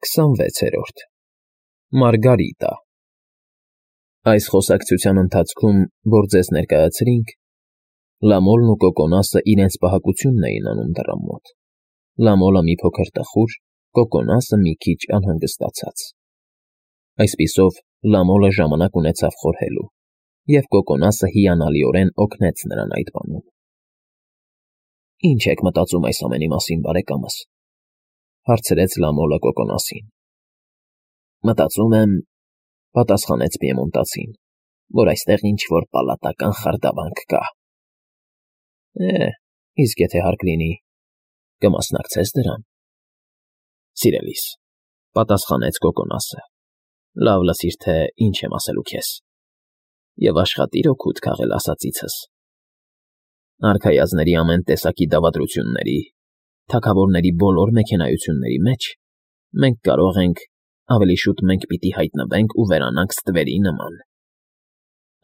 26-րդ Մարգարիտա Այս խոսակցության ընթացքում, որ ձեզ ներկայացրինք, Լամոլն ու Կոկոնասը իրենց պահակությունն էին անում դռան մոտ, Լամոլը մի փոքր տխուր, Կոկոնասը մի քիչ անհանգստացած։ Այսպիսով Լամոլը ժամանակ ունեցավ խորհելու, և Կոկոնասը հիանալիորեն օգնեց նրան այդ բանում։ «Ինչ եք մտածում այս ամենի մասին, բարեկամս,֊ հարցրեց Լամոլը Կոկոնասին։ «Մտածում եմ,֊ պատասխանեց պիեմոնտացին,֊ որ այստեղ ինչ-որ պալատական խարդավանք կա»։ Իսկ եթե հարկ լինի, կմասնակցե՞ս դրան։ Սիրելիս,֊ պատասխանեց Կոկոնասը,֊ լավ լսիր, թե ինչ եմ ասելու քեզ, և աշխատիր օգուտ քաղել ասածիցս։ Արքայազնների ամեն տեսակի դավադրությունների, թագավորների բոլոր մեքենայությունների մեջ մենք կարող ենք, ավելի շուտ մենք պիտի հայտնվենք ու վերանանք ստվերի նման։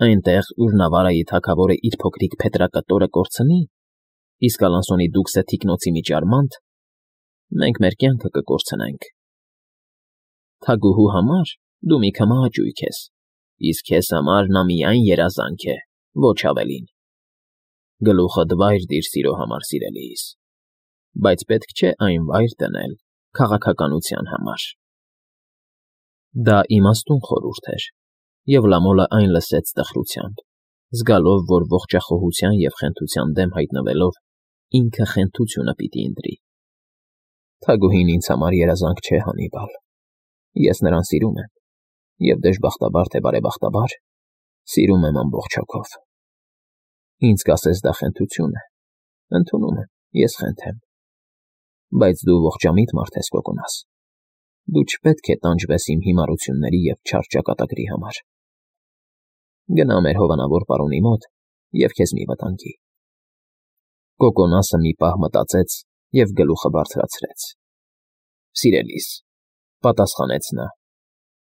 Այնտեղ, ուր Նավարայի թագավորը իր փոքրիկ փետրակտորը կորցնի, իսկ Ալանսոնի դուքսը թիկնոցի մի ճարմանտ, մենք մեր կյանքը կկորցնենք։ Թագուհու համար դու մի քմահաճույք ես, իսկ քեզ համար նա միայն երազանք է, ոչ ավելին։ Գլուխդ վայր դիր սիրո համար, սիրելիս, բայց պետք չէ այն վայր դնել քաղաքականության համար։ Դա իմաստուն խորհուրդ էր, և Լամոլը այն լսեց տխրությամբ, զգալով, որ ողջախոհության և խենթության դեմ հայտնվելով ինքը խենթությունը պիտի ընտրի։ Թագուհին ինձ համար երազանք չէ, Հանիբալ, ես նրան սիրում եմ, և դժբախտաբար թե բարեբախտաբար, սիրում եմ ամբողջ հոգով։ Ինձ կասես դա խենթություն է, ընդունում եմ, ես խենթեմ։ Բայց դու ողջամիտ մարդ ես, Կոկոնաս, դու չպետք է տանջվես իմ հիմարությունների և չար ճակատագրի համար։ Գնա մեր հովանավոր պարոնի մոտ և քեզ մի վտանգի։ Կոկոնասը մի պահ մտածեց և գլուխը բարձրացրեց։ Սիրելիս,֊ պատասխանեց նա,֊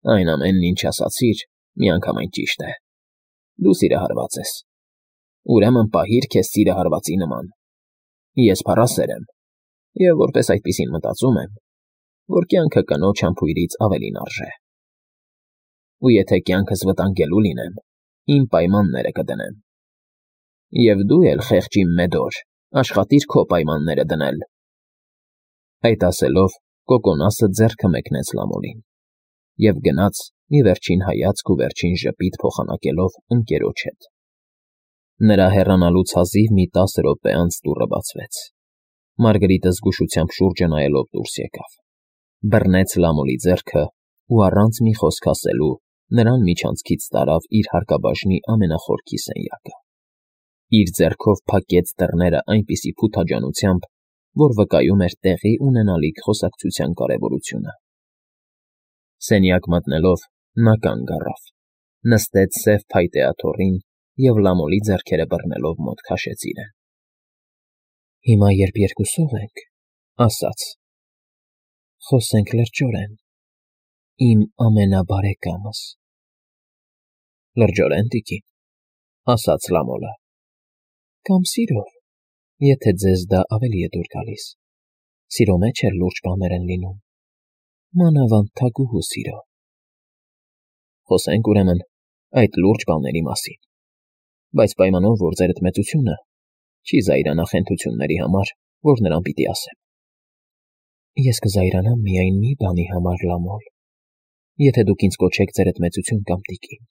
այն ամենն, ինչ ասացիր, միանգամայն ճիշտ է։ Դու սիրահարված ես։ Ուրեմն պահիր քեզ սիրահարվածի նման։ Ես փառասեր եմ, և որպես այդպիսին մտածում եմ, որ կյանքը կնոջ համբույրից ավելին արժե։ Ու եթե կյանքս վտանգելու լինեմ, իմ պայմանները կդնեմ։ Եվ դու էլ, խեղճ իմ Մեդոր, աշխատիր քո պայմանները դնել։ Այդ ասելով Կոկոնասը ձեռքը մեկնեց Լամոլին և գնաց մի վերջին հայացք ու վերջին ժպիտ փոխանակելով ընկերոջ հետ։ Նրա հեռանալուց հազիվ մի 10 րոպե անց դուռը բացվեց։ Մարգարիտը զգուշությամբ շուրջը նայելով դուրս եկավ, բռնեց Լամոլի ձեռքը ու առանց մի խոսք ասելու նրան միջանցքից տարավ իր հարկաբաժնի ամենախորքի սենյակը։ Իր ձեռքով փակեց դռները այնպիսի փութաջանությամբ, որ վկայում էր տեղի ունենալիք խոսակցության կարևորությունը։ Սենյակ մտնելով նա կանգ առավ, նստեց սև փայտե աթոռին և Լամոլի ձեռքերը բռնելով մոտ քաշեց իրեն։ Հիմա, երբ երկուսով ենք, ասաց. խոսենք լրջորեն, իմ ամենաբարեկամս։ Լրջորեն, տիկին,֊ ասաց Լամոլը։ Կամ սիրով, եթե ձեզ դա ավելի է դուր գալիս։ Սիրո մեջ էլ լուրջ բաներ են լինում, մանավանդ թագուհու սիրո։ Խոսենք, ուրեմն, այդ լուրջ բաների մասին, բայց պայմանով, որ ձերդ մեծությունը չի զայրանա խենթությունների համար, որ նրան պիտի ասեմ։ Ես կզայրանամ միայն մի բանի համար, Լամոլ, եթե դուք ինձ կոչեք ձերդ մեծություն կամ տիկին։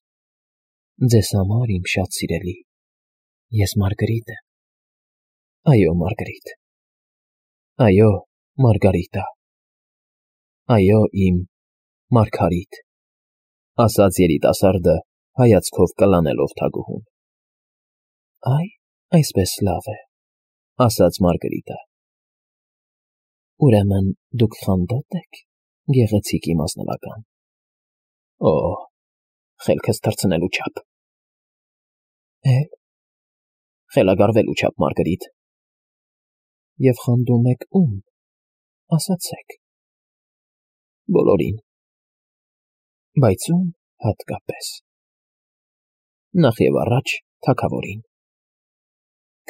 Ձեզ համար, իմ շատ սիրելի, ես Մարգարիտ եմ։ Այո, Մարգարիտ։ Այո, Մարգարիտա։ Այո, իմ Մարգարիտ, ասաց երիտասարդը հայացքով կլանելով թագուհուն։ Այսպես լավ է, ասաց Մարգարիտը։ Ուրեմն դուք խանդա՞տ եք, գեղեցիկ իմ ազնվական։ Օ, խելքս թռցնելու չափ։ Խելագարվելու չափ, Մարգարիտ։ Եվ խանդում եք ում, ասացեք։ Բոլորին։ Բայց ում հատկապես։ Նախ և առաջ թագավորին։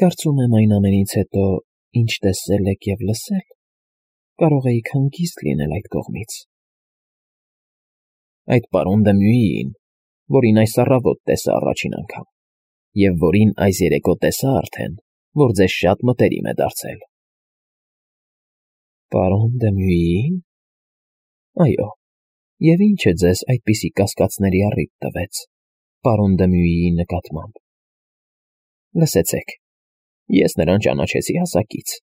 Կարծում եմ այն ամենից հետո, ինչ տեսել եք և լսել, կարող էիք հանգիստ լինել այդ կողմից, Այդ պարոն Դմյուիին, որին այս առավոտ տեսա առաջին անգամ, և որին այս երեկո տեսա արդեն, որ ձեզ շատ մտերիմ է դարձել։ Պարոն Դմյուիին։ Այո, և ինչ է ձեզ այդպիսի կասկածների առիթ տվեց, պարոն Դմյուիի նկատմամբ։ Լսեցեք, ես նրան ճանաչեցի հասակից,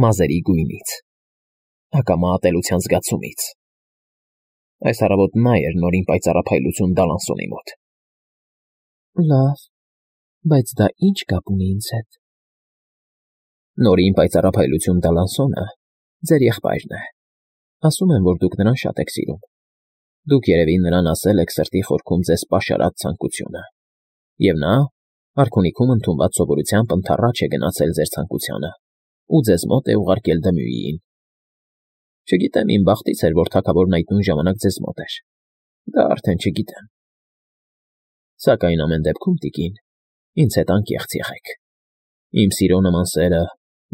մազերի գույնից, ակամա ատելության զգացումից։ Այս առավոտ նա էր նորին պայծառափայլություն Դալանսոնի մոտ։ Լավ, բայց դա ինչ կապ ունի ինձ հետ։ Նորին պայծառափայլություն Դալանսոնը ձեր եղբայրն է։ Ասում են, որ դուք նրան շատ եք սիրում։ Դուք երևի նրան ասել եք սրտի խորքում ձեզ պաշարած ցանկությունը։ Եվ նա, արքունիքում ընդունված սովորությամբ ընդառաջ է գնացել ձեր ցանկությանը ու ձեզ մոտ է ուղարկել Դմյուիին։ Չգիտեմ, իմ բախտից էր, որ թագավորն այդ նույն ժամանակ ձեզ մոտ էր։ Դա արդեն չգիտեմ։ Սակայն ամեն դեպքում, տիկին, ինձ հետ անկեղծ եղեք։ Իմ սիրո նման սերը,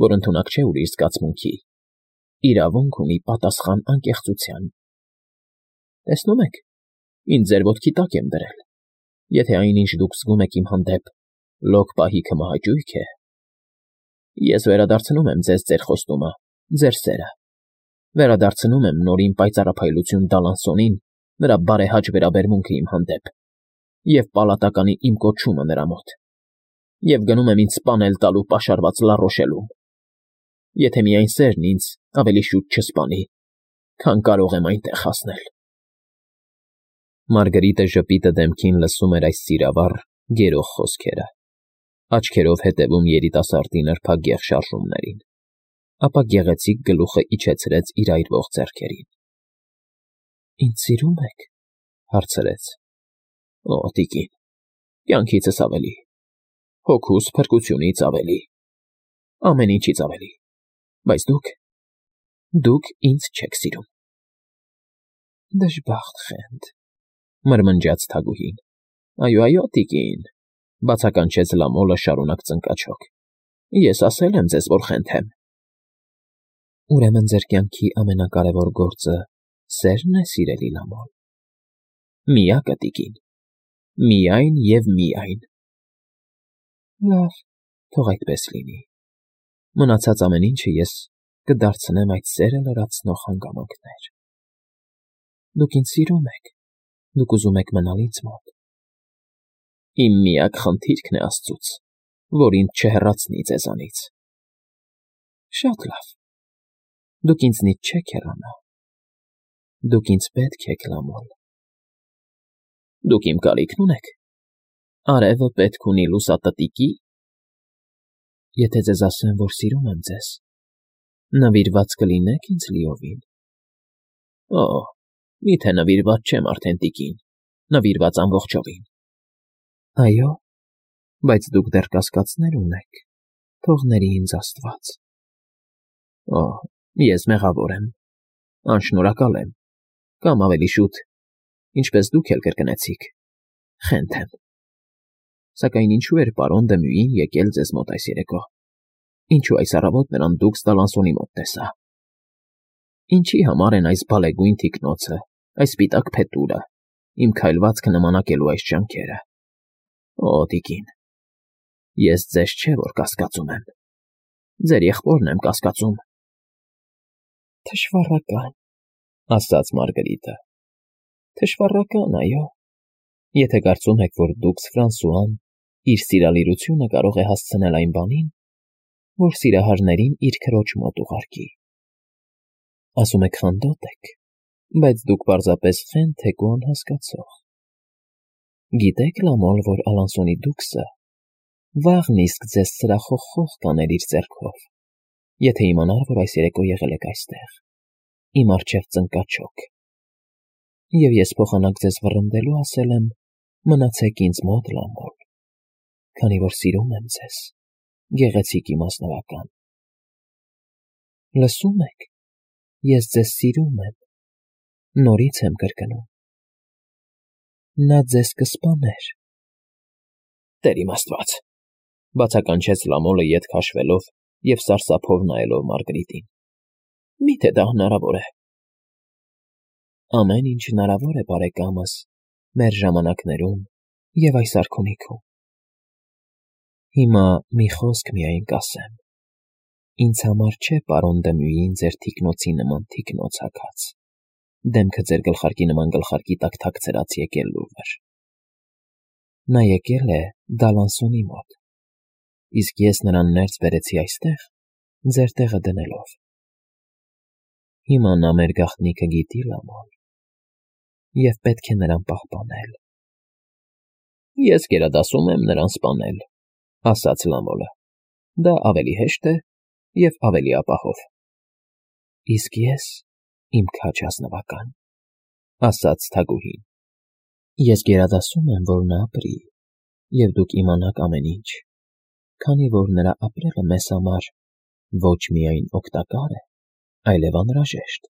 որ ընդունակ չէ ուրիշ զգացմունքի, իրավունք ունի պատասխան անկեղծության։ Տեսնում եք, ինձ ձեր ոտքի տակ եմ դրել։ Եթե այնինչ դուք զգում եք իմ հանդեպ լոկ պահիքը մահաճույք է, ես վերադարձնում եմ ձեզ ձեր խոստումը, ձեր սերը։ Վերադարձնում եմ նորին պայծառափայլություն Դալանսոնին նրա բարեհաճ վերաբերմունքը իմ հանդեպ և պալատականի իմ կոչումը նրա մոտ, և գնում եմ ինձ սպանել տալու պաշարված Լարոշելում, եթե միայն սերն ինձ ավելի շուտ չսպանի, քան կարող եմ այնտեղ հասնել։ Մարգարիտը ժպիտը դեմքին լսում էր այս սիրավառ, գերող խոսքերը, աչքերով հետևում երիտասարդի նրբագեղ շարժումներին, ապա գեղեցիկ գլուխը իջեցրեց իր այրվող ձեռքերին։ Ինձ սիրում եք, հարցրեց։ Օ, տիկին, կյանքիցս ավելի, հոգուս փրկությունից ավելի, ամեն ինչից ավելի, բայց դուք ինձ չեք սիրում։ Դժբախտ խենթ, մրմնջաց թագուհին։ Այո, տիկին, բացականչեց Լամոլը շարունակ ծնկաչոք։ Ես ասել եմ ձեզ, որ խենթ եմ։ Ուրեմն ձեր կյանքի ամենակարևոր գործը սերն է, սիրելի Լամոլ։ Միակը, տիկին, միայն և միայն։ Լավ, թող այդպես լինի։ Մնացած ամեն ինչը ես կդարձնեմ այդ սերը լրացնող հանգամանքներ։ Դուք ինձ սիրում եք, դուք ուզում եք մնալ ինձ մոտ։ Իմ միակ խնդիրքն է Աստծուց, որ ինձ չհեռացնի ձեզանից։ Շատ լավ։ Դուք ինձնից չեք հեռանա։ Դուք ինձ պետք եք, Լամոլ։ Դուք իմ կարիքն ունեք։ Արևը պետք ունի լուսատտիկի։ Եթե ձեզ ասեմ, որ սիրում եմ ձեզ, նվիրված կլինեք ինձ լիովին։ Օ, միթե նվիրված չեմ արդեն, տիկին, նվիրված ամբողջովին։ Այո, բայց դուք դեռ կասկածներ ունեք, թող ների ինձ Աստված։ Օ, ես մեղավոր եմ, անշնորհակալ եմ, կամ ավելի շուտ, ինչպես դուք էլ կրկնեցիք, խենթ եմ։ Սակայն ինչու էր պարոն Դմյուին եկել ձեզ մոտ այս երեկո։ Ինչու այս առավոտ նրան դուք Դալանսոնի մոտ տեսա։ Ինչի համար են այս բալեգույն թիկնոցը, այս սպիտակ փետուրը, իմ քայլվածքը նմանակելու այս ջանքերը։ Օ, տիկին, ես ձեզ չէ, որ կասկածում եմ, ձեր եղբորն եմ կասկածում։ Թշվառական, ասաց Մարգարիտը։ Թշվառական, այո։ Եթե կարծում եք, որ դուք Ֆրանսուան իր սիրալիրությունը կարող է հասցնել այն բանին, որ սիրահարներին իր քրոջ մոտ ուղարկի։ Ասում եք խանդոտ եք, բայց դուք պարզապես խենթ եք ու անհասկացող։ Գիտեք, Լամոլ, որ Ալանսոնի դուքսը վաղն իսկ ձեզ սրախոխող կաներ իր ձեռքով, եթե իմանար, որ այս երեկո եղել եք այստեղ, իմ առջև ծնկաչոք։ Եվ ես փոխանակ ձեզ վռնդելու ասել եմ. մնացեք ինձ մոտ, Լամոլ, քանի որ սիրում եմ ձեզ, գեղեցիկ իմ ազնվական։ Լսում եք, ես ձեզ սիրում եմ, նորից եմ կրկնում։ Նա ձեզ կսպաներ։ Տեր իմ Աստված, բացականչեց Լամոլը ետ քաշվելով և սարսափով նայելով Մարգարիտին։ Միթե դա հնարավոր է։ Ամեն ինչ հնարավոր է, բարեկամս, մեր ժամանակներում և այս արքունիքում։ Հիմա մի խոսք միայն կասեմ. ինձ համար չէ պարոն Դմյուին ձեր թիկնոցի նման թիկնոց հագած, դեմքը ձեր գլխարկի նման գլխարկի տակ թաքցրած եկել լուռ։ Նա եկել է Դալանսոնի մոտ, իսկ ես նրան ներս բերեցի այստեղ, ձեր տեղը դնելով։ Հիմա նա մեր գաղտնիքը գիտի, Լամոլ, և պետք է նրան պահպանել։ Ես գերադասում եմ նրան սպանել, ասաց Լամոլը։ Դա ավելի հեշտ է և ավելի ապահով։ Իսկ ես, իմ քաջ ազնվական, ասաց թագուհին, ես գերադասում եմ, որ նա ապրի, և դուք իմանաք ամեն ինչ, քանի որ նրա ապրելը մեզ համար ոչ միայն օգտակար է, այլև անհրաժեշտ։